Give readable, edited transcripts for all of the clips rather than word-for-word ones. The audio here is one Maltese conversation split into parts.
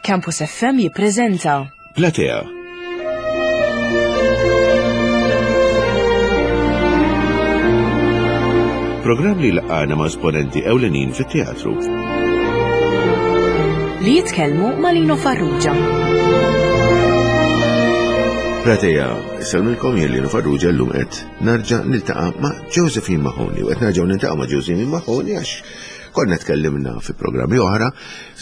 Campus FM jippreżenta Platea. Programm li laqgħana ma' esponenti ewlenin fit-teatru. Li jitkellmu ma' Lino Farrugia. Platea, Insellmilkom jien Lino Farrugia llum qed narġa' niltaqa' ma' Josephine Mahoney u qed nerġgħu niltaqgħu ma' Josephine Mahoney għax konna tkellimna fi programmi oħra,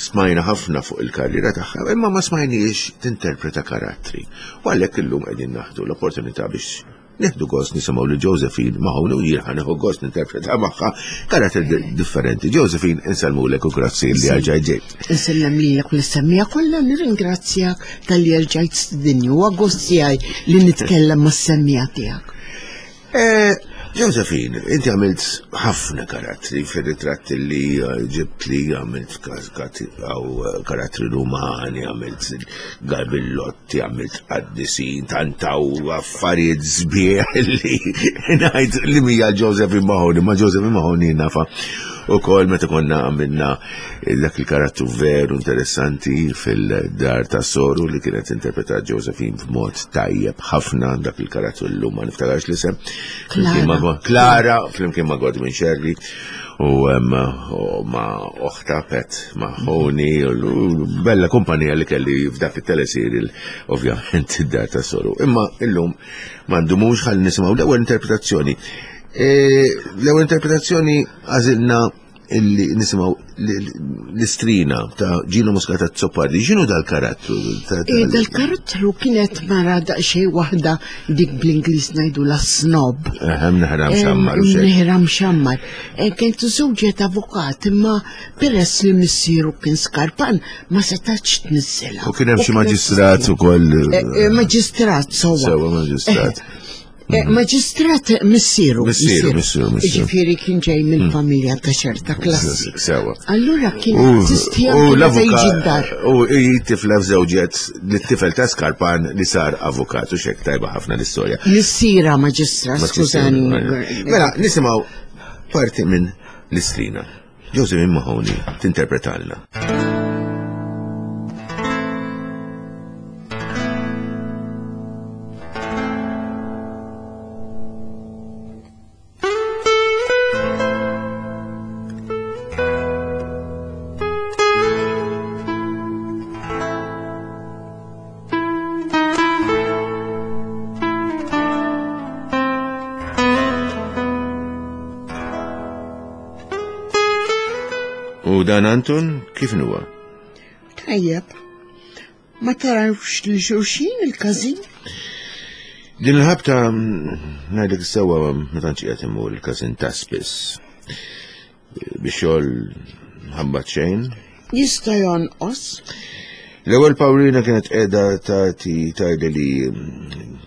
smajna ħafna fuq il-karriera tagħha, imma ma smajniex tinterpreta karattri. U għalhekk illum qegħdin naħdu l-opportunità biex Nieħdu gost nisimgħu lil Josephine Mahoney u jien ħa nieħu gost ninterpreta magħha karatteri differenti. Josephine, insellmulek u grazzi li erġajt ġejt. Insellem lilek u lis-semmija kollha nirringrazzjak talli erġajt stidinni u gost tiegħi li nitkellem mas-semmija tiegħek. Eh, Josephine, inti għamilt ħafna karattri fil-ritratt li eh, ġibt li għamilt eh, karattri rumani, għamilt garbillot Ti għamilt qaddisin, tantaw affarijiet sbieħ li ngħid li mija Josephine Mahoney, ma Josephine Mahoney nafa u kol meta konna għamilna dak il-karattru veru interessanti fil-dar ta' soru li kienet interpretat Josephine b'mod tajjeb ħafna dak il-karattru l-lum ma niftakarx l-isem. Klara. Klara, flimkien ma' Godwin Sherry u ma' oħta Pet Mahoney u bella kumpanija li kelli f'dak it-teleserial ovvjament id-dar ta' soru. Imma illum ma ndumux ħalli nisimgħu l-ewwel interpretazzjoni. E, l-ewwel interpretazzjoni għażilna illi nisimgħu l-istrina ta' Gino Muscat Azzopardi. X'inhu dal-karattru? E, dal-karattru kienet mara daqsxejn waħda dik bl-Ingliż ngħidu la snob. Ehem neħra mxammar. Neħra mxammar. E, kien tużewġet avukat imma peress li missieru kien skarpan ma setax tniżżilha. U kien hemm xi maġistrat ukoll. E, maġistrat sewwa. Sewwa maġistrat. Eh, mhm. Maġistrat missieru. Missieru, missieru, missieru. Ġifieri kien ġej minn mm. familja ta' ċerta klassi. Sewa. Allura kien tistija U l-avukat. U tifla f'żewġet li tifel ta' Skarpan li sar avukat u xek tajba ħafna l-istorja. Missira maġistrat, skużani. Mela, nisimgħu parti minn l-istrina. Josephine Mahoney tinterpretalna. U dan Anton kif nuwa? Tajjeb. Ma tarawx li xulxin il-każin? Din il-ħabta ngħidlek sewwa ma tantx qiegħed imur il-każin ta' spiss. Biex xogħol ħabbat xejn. Jista' jonqos. L-ewwel Pawlina kienet qiegħda tagħti tgħidli li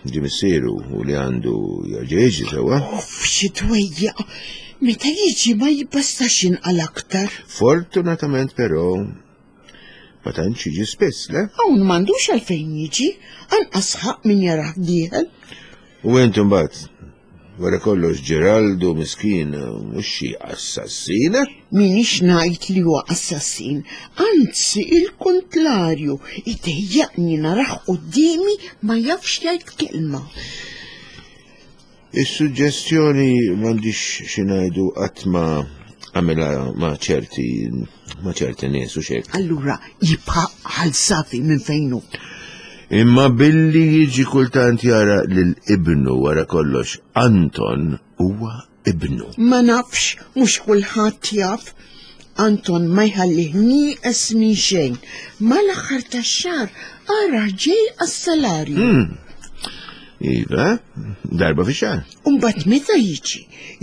ġie missieru u li għandu jerġa' jiġi sewwa. Uff, xi twejjaq. Meta jiġi ma jibbastax jinqal aktar. Fortunatament però ma tantx jiġi spiss, le? Hawn m'għandux għalfejn jiġi, anqas ħaqq min jarah dieħel. U int imbagħad, wara kollox Ġeraldu miskin mhux xi assassin? Minix ngħid li huwa assassin, anzi il-kuntlarju, idejjaqni narah quddiemi ma jafx jgħid kelma. Is-suġġestjoni m'għandix xi ngħidu qatt ma għamilha ma' ċerti ma' ċerti nies u xejn. Allura jibqa' ħal safi minn fejn hu. Imma billi jiġi kultant jara lil ibnu wara kollox Anton huwa ibnu. Ma nafx, mhux kulħadd jaf. Anton ma jħallih nieqes minn xejn. Mal-aħħar tax-xahar ara ġej għas-salarju. Hmm. Iva, darba fi xahar. Umbagħad meta jiġi,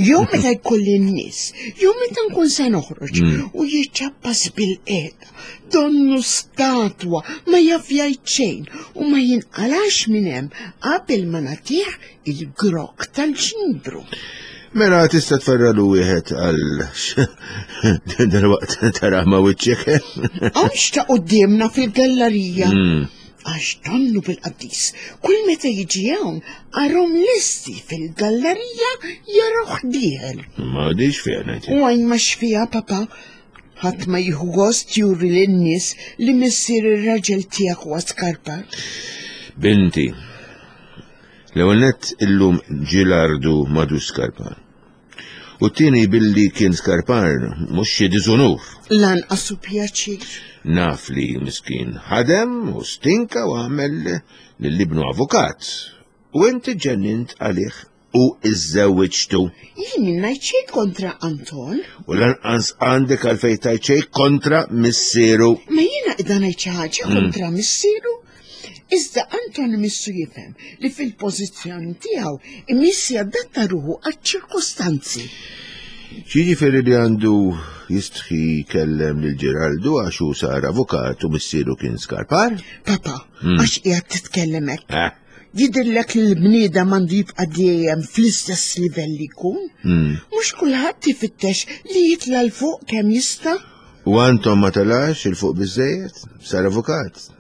jew meta jkolli n-nies, jew meta nkun se noħroġ hmm. u jiċċappas bil-qiegħda, donnu statwa ma jaf jgħid xejn u ma jinqalax minn hemm qabel ma nagħtih il-grok tal-ġnibru. Mela tista' tferralu wieħed għal dal-waqt tara ma wiċċek. Għax ta' qudiemna fil-gallerija. Hmm. Għax donnu bil-qaddis, kull meta jiġi hawn arhom lesti fil-gallerija jarawh dieħel. Ma dix fiha ngħid. U għajn ma xfiha papa. Ħadd ma jieħu gost juri lin-nies li missier ir-raġel tiegħek huwa skarpar. Binti, l-ewwel nett illum Ġilardu m'għadux skarpar. U t-tieni billi kien skarpar mhux xi diżunur. Lanqas hu pjaċir. Naf li miskin ħadem u stinka u għamel lil ibnu avukat. U inti ġennint għalih u iżżewwiġtu. Jien ngħid xejn kontra Anton. U lanqas għandek għalfejn tgħid xejn kontra missieru. Ma jiena qiegħda ngħid xi ħaġa kontra missieru. Iżda Anton imissu jifhem li fil-pożizzjoni tiegħu imiss jadatta ruħu għaċ-ċirkustanzi. X'jiġifieri li għandu jistħi jkellem lil Ġeraldu għax hu sar avukat u missieru kien skarpar? Papa, għax qiegħed titkellem hekk. Eh. Jidhirlek li l-bniedem għandu jibqa' dejjem fl-istess livell li jkun? Mhux kulħadd ifittex li jitla' 'l fuq kemm jista'? U Anton ma telax 'il fuq biżżejjed? Sar avukat.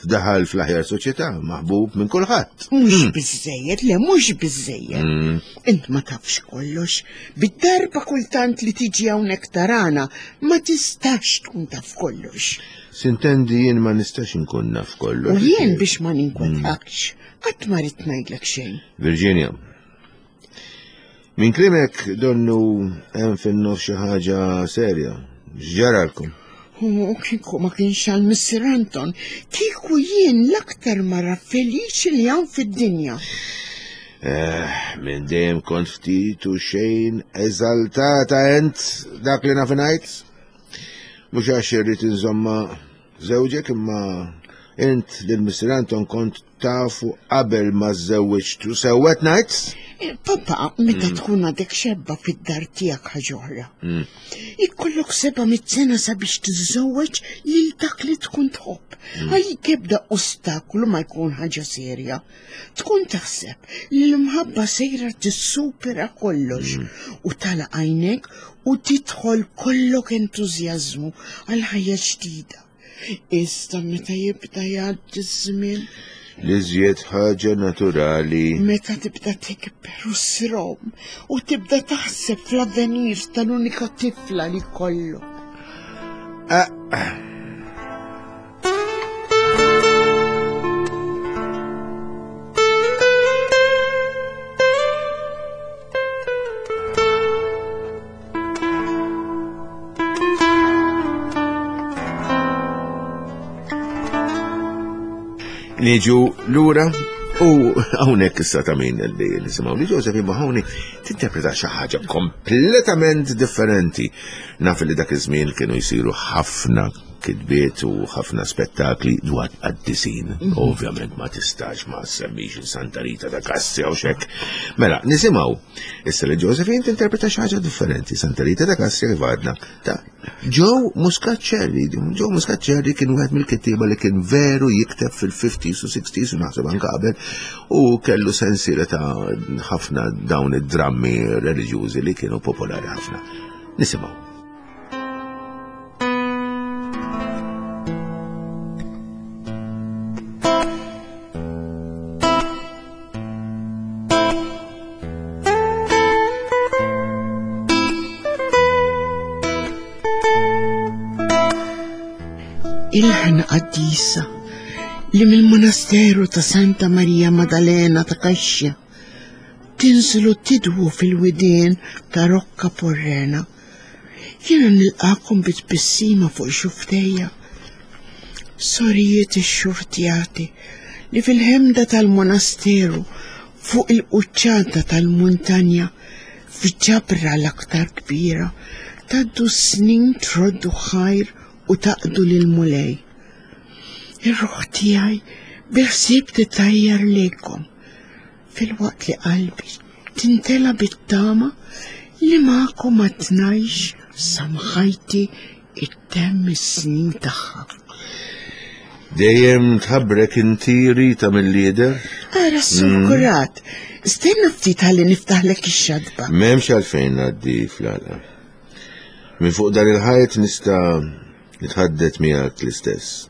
F'daħal fl-aħjar soċjetà, maħbub minn kulħadd. Mhux hmm. biżejjed, le mhux biżejjed. Hmm. Int ma tafx kollox. Bid-darba kultant li tiġi hawnhekk tarana ma tistax tkun taf kollox. Sintendi jien ma nistax inkun naf kollox. U jien biex ma ninkwetakx, hmm. qatt ma rrid ngħidlek xejn. Virginia, Minn klimek donnu hemm fin-nofs xi ħaġa serja. X'ġaralkom? U kieku ma kienx għal Mr. Anton, kieku jien l-aktar mara feliċi li hawn fid-dinja. Eh, minn dejjem kont ftit u xejn eżaltata ent dak li naf ngħid. Mhux għax irrid inżomma żewġek imma int lil Mr. Anton kont Tafu qabel ma żżewwiġtu sewwa qed ngħid? Eh, Papa, meta mm. tkun għadek xebba fid-dar tiegħek ħaġa oħra. Mm. Ikollok seba' mit-sena sabiex tiżżewweġ lil dak li tkun tħobb. Mm. Għalik ebda ostaklu ma jkun ħaġa serja. Tkun taħseb li l-imħabba sejra tissupera kollox u tala għajnek u tidħol kollok entużjażmu għal ħajja ġdida. Iżda meta jibda jgħaddi ż-żmien. L-iżjed ħaġa naturali. Meta tibda tikber u ssrom u tibda taħseb fl-avvenir tal-unika tifla li kollok. Ah, ah. Niġu lura u hawnhekk issa ta' min li nisimgħu li Joseph imma hawnhekk tinterpreta xi ħaġa kompletament differenti. Naf li dak iż-żmien kienu jsiru ħafna kitbiet u ħafna spettakli dwar qaddisin. Mhm. Ovvjament ma tistax ma semmix il-Santa Rita ta' Kassia u xek. Mela, nisimgħu issa li Josephine tinterpreta xi ħaġa differenti. Santa Rita ta' Kassia kif għadna ta' Joe Muscat Cherry. Joe Muscat Cherry kien wieħed mill-kittieba li kien veru jikteb fil-50s u 60s u naħseb anke qabel u kellu sensiela ta' ħafna dawn id-drammi reliġjużi li kienu popolari ħafna. Nisimgħu. Il-ħna qaddisa li mill-monasteru ta' Santa Maria Maddalena ta' Kaxxa tinżlu tidwu fil-widien ta' Rocca Porrena. Jiena nilqakom bi tbissima fuq xuftejja. Sorijiet ixxurtjati li fil-ħemda tal-monasteru fuq il-quċċata tal-muntanja f'ġabra l-aktar kbira tgħaddu s-snin troddu ħajr u taqdu lill-Mulej. Ir-ruħ tiegħi bi ħsieb titajjar lejkom filwaqt li qalbi tintela bit-tama li magħkom għad ngħix sa mħajti ittemm is-snin tagħha. Dejjem tħabbrek inti Rita mill-lider? Ara s-sukurat, mm. stenna ftit ħalli niftaħlek ix-xadba. M'hemmx għalfejn ngħaddi fl-għala. Minn fuq dan il-ħajt nista' nitħaddet miegħek l-istess.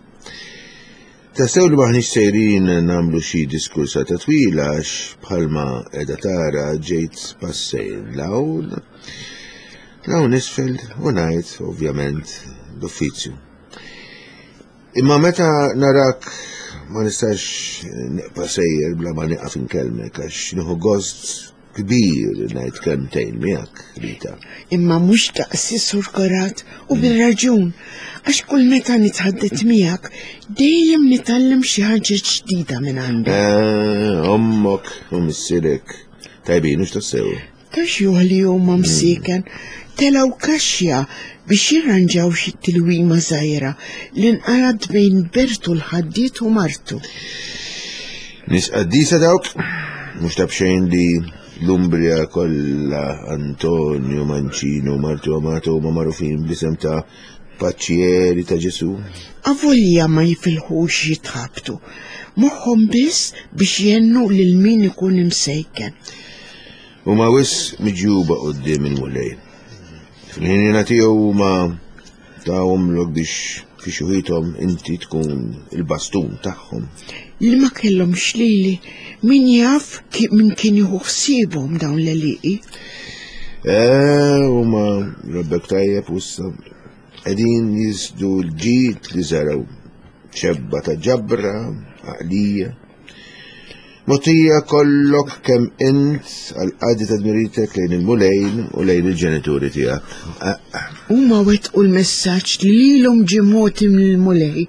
Tassew li m'aħniex sejrin nagħmlu xi diskursata twila għax bħalma qiegħda tara ġejt passejn 'l hawn. L-hawn isfel u ngħid, ovvjament, l-uffiċju. Imma meta narak ma nistax neqpa sejjer bla ma nieqaf inkellmek għax nieħu gost kbir ngħid kelmtejn miegħek, Rita. Imma mhux daqsi Sur Korat u bir-raġun għax kull meta nitħaddet miegħek dejjem nitgħallem xi ħaġa ġdida minn għandek. Eh, ommok u missierek tajbin hux tassew. Ta' xjuħ li huma msieken telgħu kaxxa biex jirranġaw xi tilwima żgħira li nqalgħet bejn Bertu l-ħaddied u martu. Nies qaddisa dawk, mhux ta' b'xejn li l-Umbria kollha Antonio Mancino u martu Amato huma magħrufin bl-isem ta' paċċieri ta' Ġesù. Avolja ma jifilħux jitħabtu, moħħhom biss biex jgħinu lil min ikun imsejken. Huma wisq miġjuba quddiem il-Mulej. Fil-ħinina tiegħu huma tawhomlok biex fi xuħithom inti tkun il-bastun tagħhom. Li ma kellhomx lili, min jaf min kien jieħu ħsiebhom dawn l-għelieqi. Eh, huma rabbek tajjeb u issa qegħdin jisdu l-ġid li żergħu xebba ta' ġabra, għaqlija. Mogħtija kollok kemm int għall-qadi ta' dmiritek lejn il-Mulej u lejn il-ġenituri tiegħek. Huma wettqu l-messaġġ li lilhom ġie mogħti mill-Mulej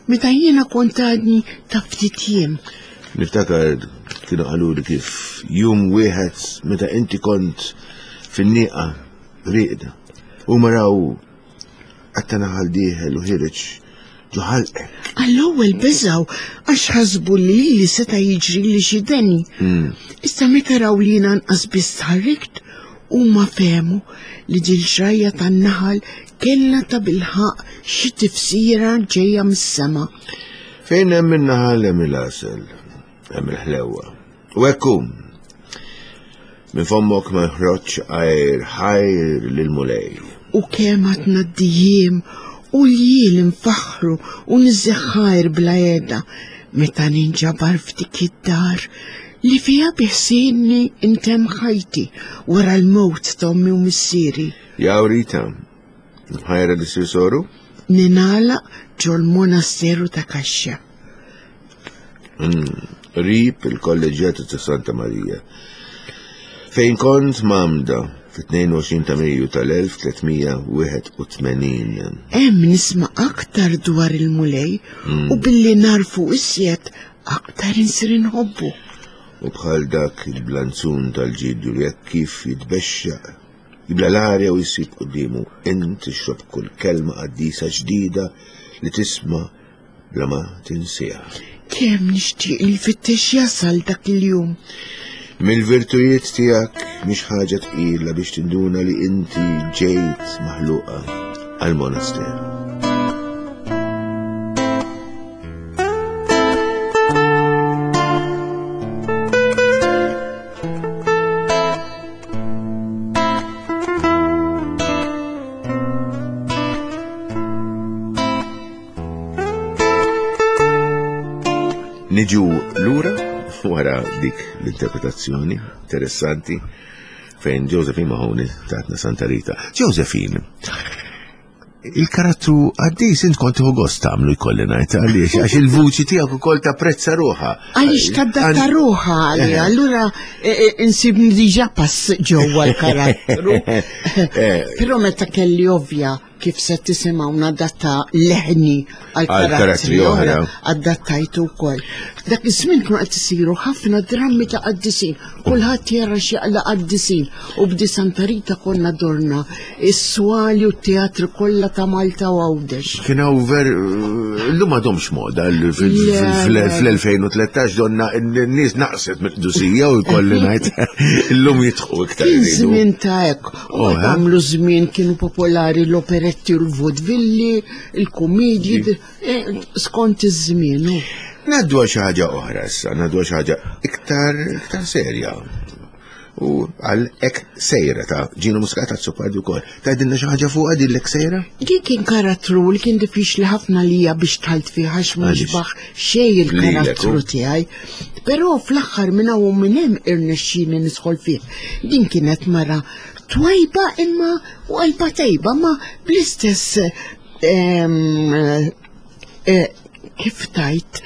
meta jiena kont għadni ta' ftit jiem. Niftakar kienu qaluli kif jum wieħed meta inti kont fin-nieqa rieqda. Huma raw Qatta naħal dieħel u ħireġ ġo ħalqek. Għall-ewwel beżgħu għax ħasbu li lili seta' jiġrili xi deni. Issa meta raw li jiena anqas biss tħarrikt, huma fehmu li dil-ġrajja tan-naħal kellha tabilħaqq xi tifsira ġejja mis-sema. Fejn hemm in-naħal hemm il-għasel, hemm il-ħlewwa. U hekk hu. Minn fommok ma jħroġx għajr ħajr lill-Mulej. U kemm għad ngħaddi jiem u ljiel infaħħru u niżżeħħajr bla heda meta ninġabar f'dik id-dar li fiha biħsiebni ntemm ħajti wara l-mewt t'ommi u missieri. Jaw Rita, mħajra li ssir soru? Ningħalaq ġol-monasteru ta' Kaxxa. Qrib il-Kolleġġjata ta' Santa Marija, fejn kont mgħammda fit-22 ta' Mejju tal-1381. Hemm nisma' aktar dwar il-Mulej u billi nagħrfu iżjed aktar insir inħobbu. U bħal dak il-blanzun tal-ġidju li hekk kif jitbexxaq, jibla' l-arja u jsib quddiemu, int tixrob kull kelma qaddisa ġdida li tisma' bla ma tinsiha. Kemm nixtieq li jfittex jasal dak il-jum. Mill-virtujiet tiegħek mhix ħaġa tqila biex tinduna li inti ġejt maħluqa għall-monasteru. Niġu lura wara dik l-interpretazzjoni interessanti fejn Josephine Mahoney tatna Santa Rita. Josephine, il-karattru għaddis int kont tieħu gost tagħmlu jkolli ngħid għaliex għax il-vuċi tiegħek ukoll tapprezza ruħha. Għaliex tadatta ruħha għalija, eh. allura eh, eh, insibni diġà pass ġewwa l-karattru. Però meta kelli ovvja kif se tisimgħu nadatta leħni għal karattri oħra, adattajtu wkoll. Dak iż-żmien kienu qed isiru ħafna drammi ta' qaddisin, kulħadd jara xi jaqla' qaddisin u b'di Santa Rita konna dorna is-swali u t-teatri kollha ta' Malta u Għawdex. Kien hawn ver illum m'għadhomx moda fl-2013 donna n-nies naqset mill-qdusija u jkolli ngħid illum jidħu iktar. Kien żmien ta' hekk. U oh, għamlu żmien kienu popolari l-operetti u l-vodvilli, il-kumedji, eh, skont iż-żmien. Naddu għal xi ħaġa oħra issa, naddu għal xi ħaġa iktar iktar serja. U għal ek sejra ta' Gino Muscat Azzopardi wkoll. Tgħidilna xi ħaġa fuqha din l-ek sejra? Din kien karattru li kien diffiċli ħafna lija biex tħalt fih għax ma jixbaħ xejn il-karattru tiegħi. Però fl-aħħar minn hawn u minn hemm irnexxieli nidħol fih. Din kienet mara twajba imma u qalba tajba ma bl-istess eh, kif tajt,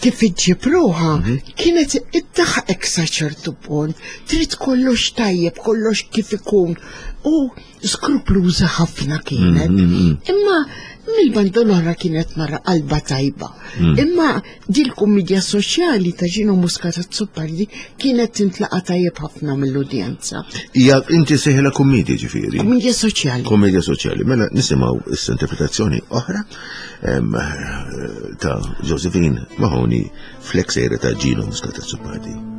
kif iġġib ruħa, mhm. kienet iddaħqek sa ċertu punt, trid kollox tajjeb, kollox kif ikun, u skrupluża ħafna kienet. Mhm, mhm, Imma mill-banda l-oħra kienet mara qalba tajba. Imma dil-kummedja soċjali ta' Ġino Muscat Azzopardi kienet tintlaqa tajjeb ħafna mill-udjenza. Hija inti seħla kummedja ġifieri. Kummedja soċjali. Kummedja soċjali. Mela nisimgħu issa interpretazzjoni oħra ta' Josephine Mahoney fl-eksera ta' Gino Muscat Azzopardi.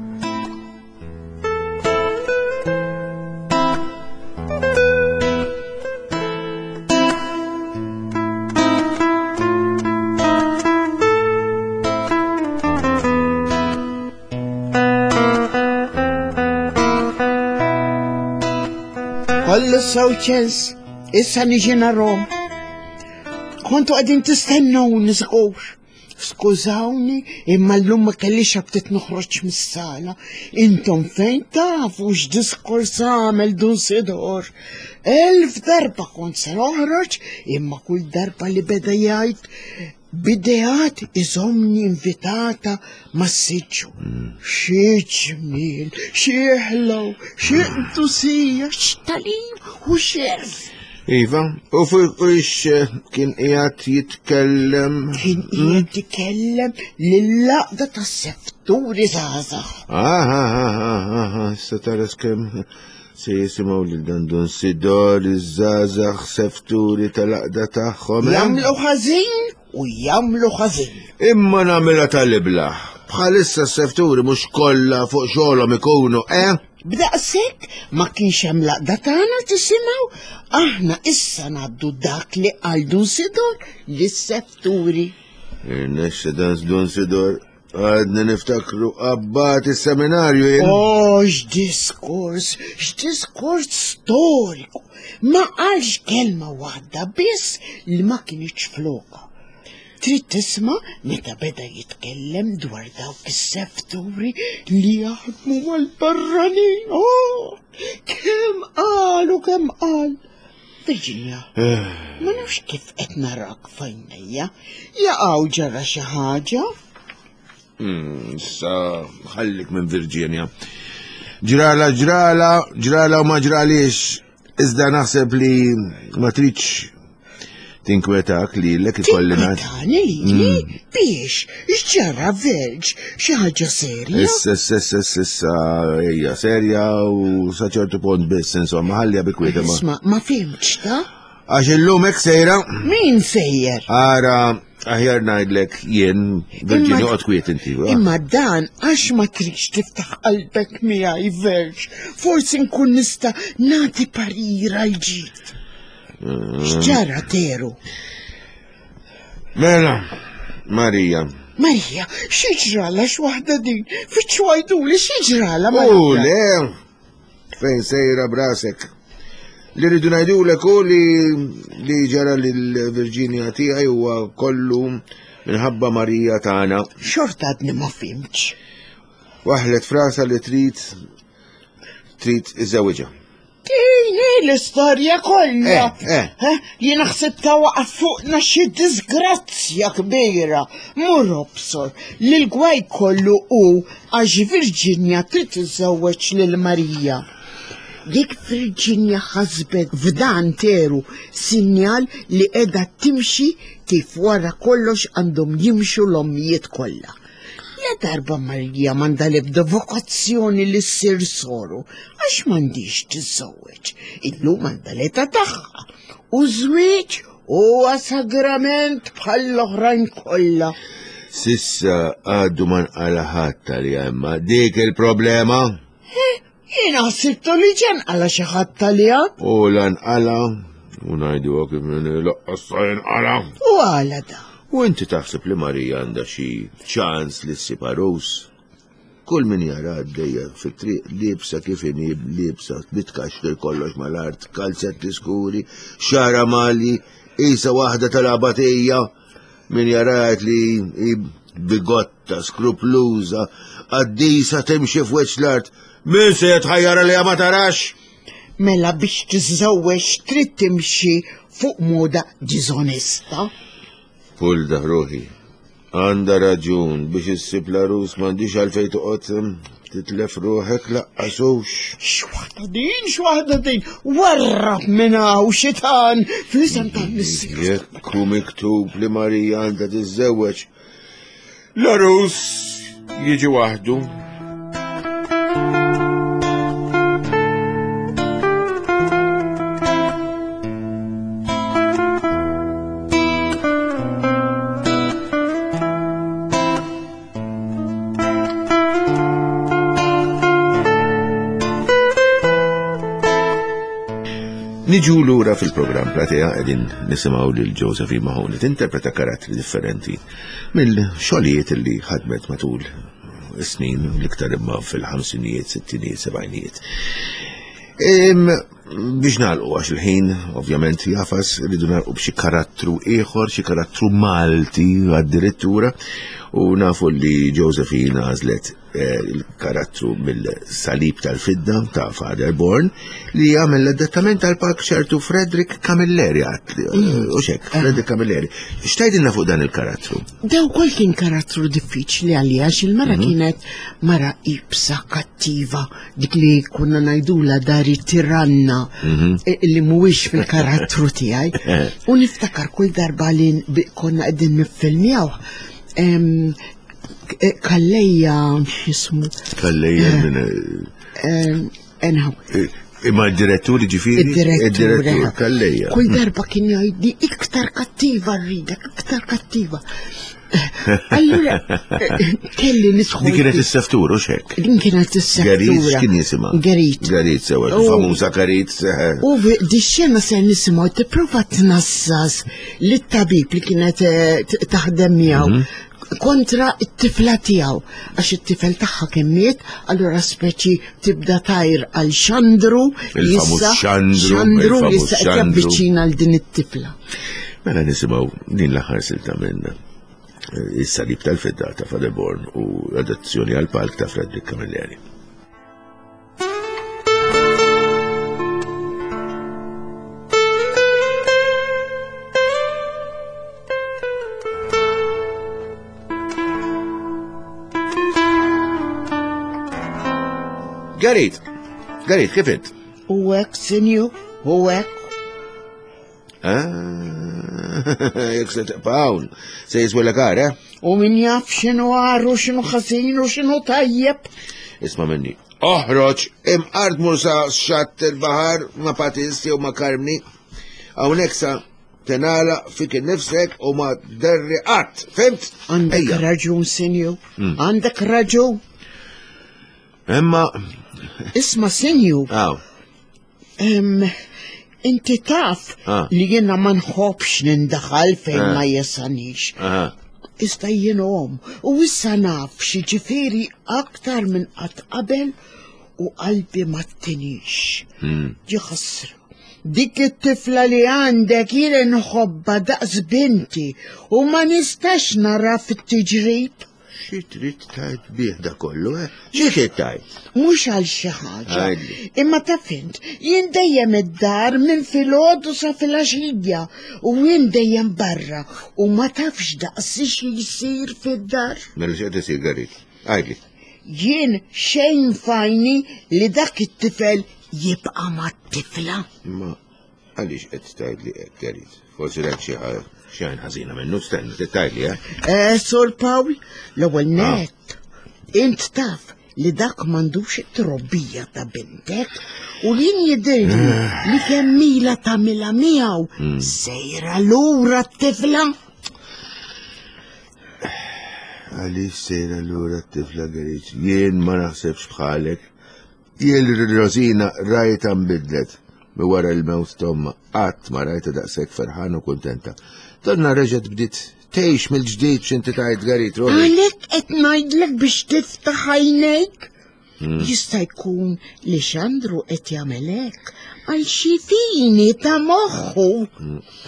Kollu sew ċens, issa niġi narom. Kontu qegħdin tistennuni żgur. Skużawni, imma llum ma kellix aptit noħroġ mis-sala. Intom fejn tafu x'diskors għamel Dun Sidor. Elf darba kont se noħroġ, imma kull darba li beda jgħid B'ideat iżommni invitata mas-siġġu. Xi ġmiel, xi ħlew, xi qdusija, x'tagħlim u x'għerf. Iva, u fuq ix eh, kien qiegħed jitkellem. Kien hmm? qiegħed jitkellem lill-laqda tas-sefturi żgħażagħ. Ah, ah, ah, ah, ah, issa tara kemm se jisimgħu lil dan Dun Sidor iż-żgħażagħ sefturi tal-aqda tagħhom. Eh? Jagħmlu ħażin u jagħmlu ħażin. Imma nagħmilha tal-iblaħ. Bħalissa s-sefturi mhux kollha fuq xogħolhom ikunu, eh? B'daqshekk ma kienx hemm l-għaqda tagħna tisimgħu, aħna issa ngħaddu dak li qal Dun Sidor lis-sefturi. Irnexxa dan Dun Sidor għadni niftakru abbat is-seminarju jien. Oh, x'diskors, x'diskors storiku. Ma qalx kelma waħda biss li ma kinitx floka. Trid tisma' meta beda jitkellem dwar dawk is-sefturi li jaħdmu mal-barranin. Oh, kemm qal u kemm qal. Virginia, eh. ma nafx kif qed narak fajnejja. Jaqgħu ġara xi ħaġa. Hmm, issa ħallik minn Virginia. Ġrala, ġrala, ġrala u ma ġralix. Iżda naħseb li ma tridx tinkwetak li l-ek ikolli ngħid. Tinkwetani lili? Mm. Biex, x'ġara Verġ, xi ħaġa serja? Issa, issa, issa, issa, issa, hija serja u sa ċertu punt biss, insomma, ħallija bi kwieta ma. Isma' ma fimtx ta' Għax illum hekk sejra. Min sejjer? Ara, aħjar ngħidlek jien, Virginia, oqgħod kwiet inti. Imma dan għax ma tridx tiftaħ qalbek miegħi Verġ, forsi nkun nista' nagħti parir għal ġid. Mm. X'ġara teru? Mela, Marija. Marija, xi ġrala x'waħda din? Fittxu għajduli xi ġrala Marija. U le, Fejn sejra brasek? Li rridu ngħidulek hu li li ġara lil Virginia tiegħi huwa kollu minħabba Marija tagħna. Xorta għadni ma fimtx. Waħlet frasa li trid trid iżewġha. Din l-istorja kollha. Eh, eh. eh Jien ħsib ta' waqaf fuqna xi disgrazzja kbira. Mur obsor li l-gwaj kollu hu Għax Virginia trid tiżżewweġ lil Marija. Dik Virginia ħasbet f'dan teru sinjal li qiegħda timxi kif wara kollox għandhom jimxu l-ommijiet kollha. La darba Marija m'għandha l-ebda vokazzjoni li ssir soru, għax m'għandhiex tiżżewweġ. Illum għandha l-età tagħha. U żwieġ Huwa sagrament bħall-oħrajn kollha. Sissa għadu ma nqala ħadd għalija imma dik il-problema. Eh, jiena ħsibtu li ġen qala xi ħadd għalija. U lanqala u ngħidu kif laqqas sa jinqala. U għala da. U inti taħseb li Marija għandha xi ċans li ssib għarus? Kull min jara għaddejja fit-triq liebsa kif inhi liebsa bitkaxkir kollox mal-art, kalzetti skuri, xara mali, isa waħda tal-abatija. Min jara jgħid li hi bigotta, skrupluża, qaddisa timxi f'wiċċ l-art. Min se jitħajjar li ma tarax? Mela biex tiżżewweġ trid timxi fuq moda diżonesta. Pulda ruħi. Għandha raġun biex issib l-għarus m'għandix għalfejn toqgħod hm, titlef ruħek laqqas hux. X'waħda din, x'waħda din, warrab minn hawn xitan fl-isem tal-missier. Jekk hu miktub li Marija għandha tiżżewweġ, l-għarus jiġi waħdu. Niġu lura fil-programm Platea qegħdin nisimgħu lil Josephine Mahoney tinterpreta karattri differenti mill-xogħlijiet li ħadmet matul is-snin l-iktar imma fil-ħamsinijiet, sittinijiet, sebgħinijiet. Biex nagħlqu għax il-ħin ovvjament jafas rridu nagħlqu b'xi karattru ieħor, xi karattru Malti addirittura u nafu li Josephine għażlet eh, il-karattru mill-Salib tal-Fidda ta' Father Born li għamel l-adattament tal-palk ċertu Frederick Camilleri għat eh, mm. u xek, eh. Frederick Camilleri. X'tajdilna fuq dan il-karattru? Daw kol kien karattru diffiċli għalija għax il-mara mhm. kienet mara ibsa kattiva dik li konna ngħidula dari tiranna mhm. eh, li mhuwiex fil-karattru tiegħi. U niftakar kull darba li konna qegħdin niffilmjaw eh, Kallejja x'ismu. Kallejja eh, minn. Anyhow. Imma d-direttur ġifiri? Id-direttur. Kallejja. Kull darba kien jgħidli iktar kattiva rridek, iktar kattiva. Allura, kelli nidħol. Din kienet is-seftur, u xek? Din kienet is-seftura. Garit, kien jisimha? Garit. Garit, sewa, famuża Garit. U di xena se nisimgħu tipprova tnassas lit-tabib li kienet eh, taħdem miegħu mhm. kontra it-tifla tiegħu għax it-tifel tagħha kien miet, allura speċi tibda tajr għal xandru il-famuż xandru xandru li issa qed javviċina għal din it-tifla. Mela nisimgħu din l-aħħar silta minn eh, is-salib tal-fidda ta' Fadeborn u adazzjoni għal palk ta' Frederick Camilleri. Garit, Garit, kif int? U hekk, sinju, u hekk. Ah, jek se tibqa' se jiswilek għar, eh? U min jaf x'inhu għar u x'inhu ħażin u x'inhu tajjeb. Isma' minni. Oħroġ, imqar tmur sa xatt il-baħar ma' Patist jew ma' Karmni. Hawnhekk sa tenala fik innifsek u ma derri qatt, fimt? Għandek raġun, sinju. Hmm. Għandek raġun. Imma. Isma' sinju. Aw. Inti taf ah. li jiena ma nħobbx nindaħal fejn ah. ma jesanix. Iżda jien om u issa naf xi ġifieri aktar minn qatt qabel u qalbi ma tinix. Hmm. Ġi ħasra. Dik it-tifla li għandek jien nħobba daqs binti u ma nistax nara fit-tiġrib. Xi trid tgħid bih da kollu, eh? Xi trid tgħid? Mhux għal xi ħaġa. Imma taf int, jien dejjem id-dar minn filgħodu sa filgħaxija u jien dejjem barra u ma tafx daqsi xi jsir fid-dar. Mela x'qed isir Garit? Għidli. Jien xejn fajni li dak it-tifel jibqa' mat-tifla. Ma Għaliex qed tgħidli hekk, Gerrit? Forsi rajt xi xi għajn ħażina minnu, stenna, trid tgħidli, eh? Eh, Sur Pawl, l-ewwel ah. nett, int taf li dak m'għandux it-trobbija ta' bintek u jien jidhirli eh. li kemm mila tagħmilha miegħu hmm. sejra lura t-tifla. Għaliex sejra lura t-tifla Gerrit? Jien ma naħsebx bħalek. Jien lil Rosina rajtha nbidlet minn wara l-mewt t'ommha, qatt ma rajtha daqshekk ferħana u kuntenta. Donna reġgħet bdiet Tgħix mill-ġdid x'inti tgħid Garit ruħi. Għalhekk qed ngħidlek biex tiftaħ għajnejk. Jista' jkun li Xandru qed jagħmel hekk għal xi fini ta' moħħu.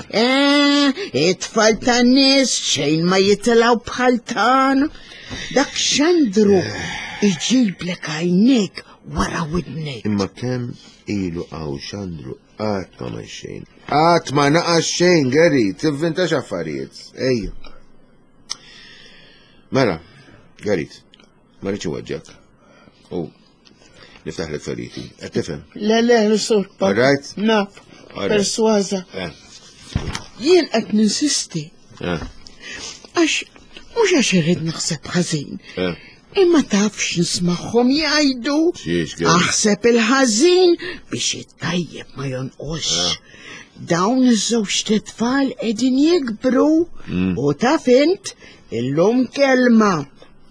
Eh, it-tfal tan-nies xejn ma jitilgħu bħal tagħna. Dak Xandru iġiblek għajnejk wara widnejk. Imma kemm ilu hawn Xandru qatt ma ma xejn. Qatt ma naqas xejn, Gary, tivvintax affarijiet. Ejja. Mela, Gary, ma rridx inweġġek. U niftaħlek feriti. Qed tifhem? Le, le, sur. All right? Naf. Persważa. Eh. Jien qed ninsisti. Eh. Għax mhux għax irrid naħseb ħażin. Eh. Imma tafx nismagħhom jgħidu. Aħseb il-ħażin biex it-tajjeb ma jonqosx. Dawn iż-żewġ tfal qegħdin jikbru u taf int illum kelma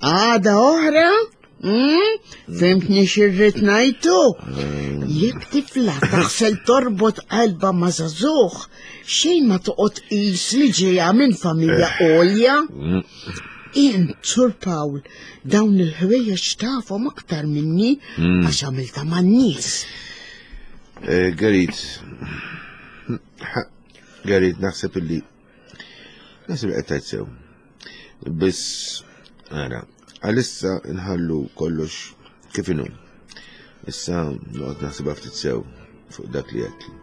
għada oħra Hmm? Fimtni xirrit najtu? Jekk tifla taħsel torbot qalba ma' żagħżugħ, xejn ma toqgħod qis li ġejja minn familja għolja. Int, Sur Pawl, dawn il-ħwejjeġ tafhom aktar minni għax għamilta man-nies. Eh, Gerit, Gerit, naħseb illi naħseb li qed tgħid sew. Biss, ara, għalissa nħallu kollox kif inhu. Issa noqgħod naħsibha ftit sew fuq dak li għedtli.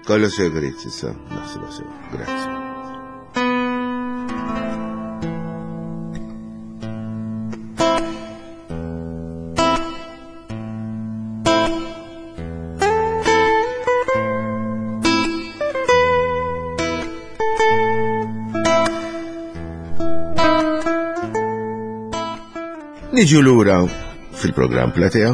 Kollox sew Gerit, issa naħsibha sew. Grazzi. Niġu lura fil-programm Platea,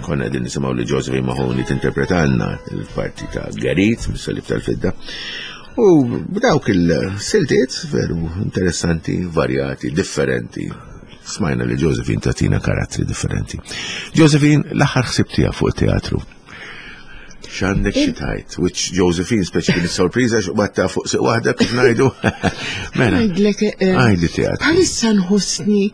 konna din nisimgħu li Josephine Mahoney tinterpretanna il-parti ta' Garit, mis-salib tal-fidda. U b'dawk il-siltiet veru interessanti, varjati, differenti. Smajna li Josephine tatina karattri differenti. Josephine, l-aħħar ħsib tiegħek fuq teatru. X'għandek xi tgħid? Which Josephine speċi kien sorpriża x'batta fuq siq waħda kif ngħidu. Mela. Ngħidlek eh, Għajdi teatru. Bħalissa nħossni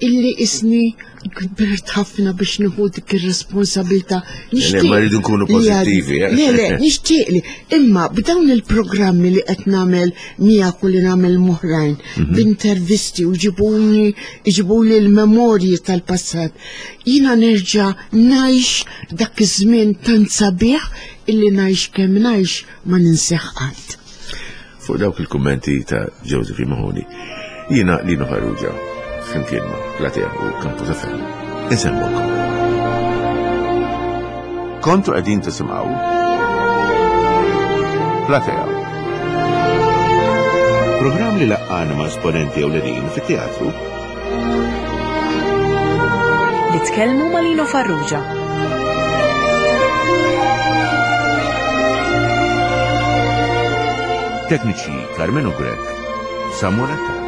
illi isni kbirt ħafna biex nieħu dik ir-responsabilità. Le, ma rridu nkunu pożittivi, eh. Le, le, nixtieq li. Imma b'dawn il-programmi li qed nagħmel miegħek u li nagħmel moħrajn, b'intervisti u ġibuni ġibuli l-memorji tal-passat. Jiena nerġa' ngħix dak iż-żmien tant sabiħ illi ngħix kemm ngħix ma ninseħ qatt. Fuq dawk il-kummenti ta' Josephine Mahoney, jiena Lino Farrugia, flimkien ma' Platea u Campus FM. Insemmulkom. Kontu qegħdin tisimgħu Platea. Programm li laqqana ma' esponenti ewlenin fit-teatru Nitkellmu ma' Lino Farrugia. Tekniċi Carmenu Grech, Samuel Attard.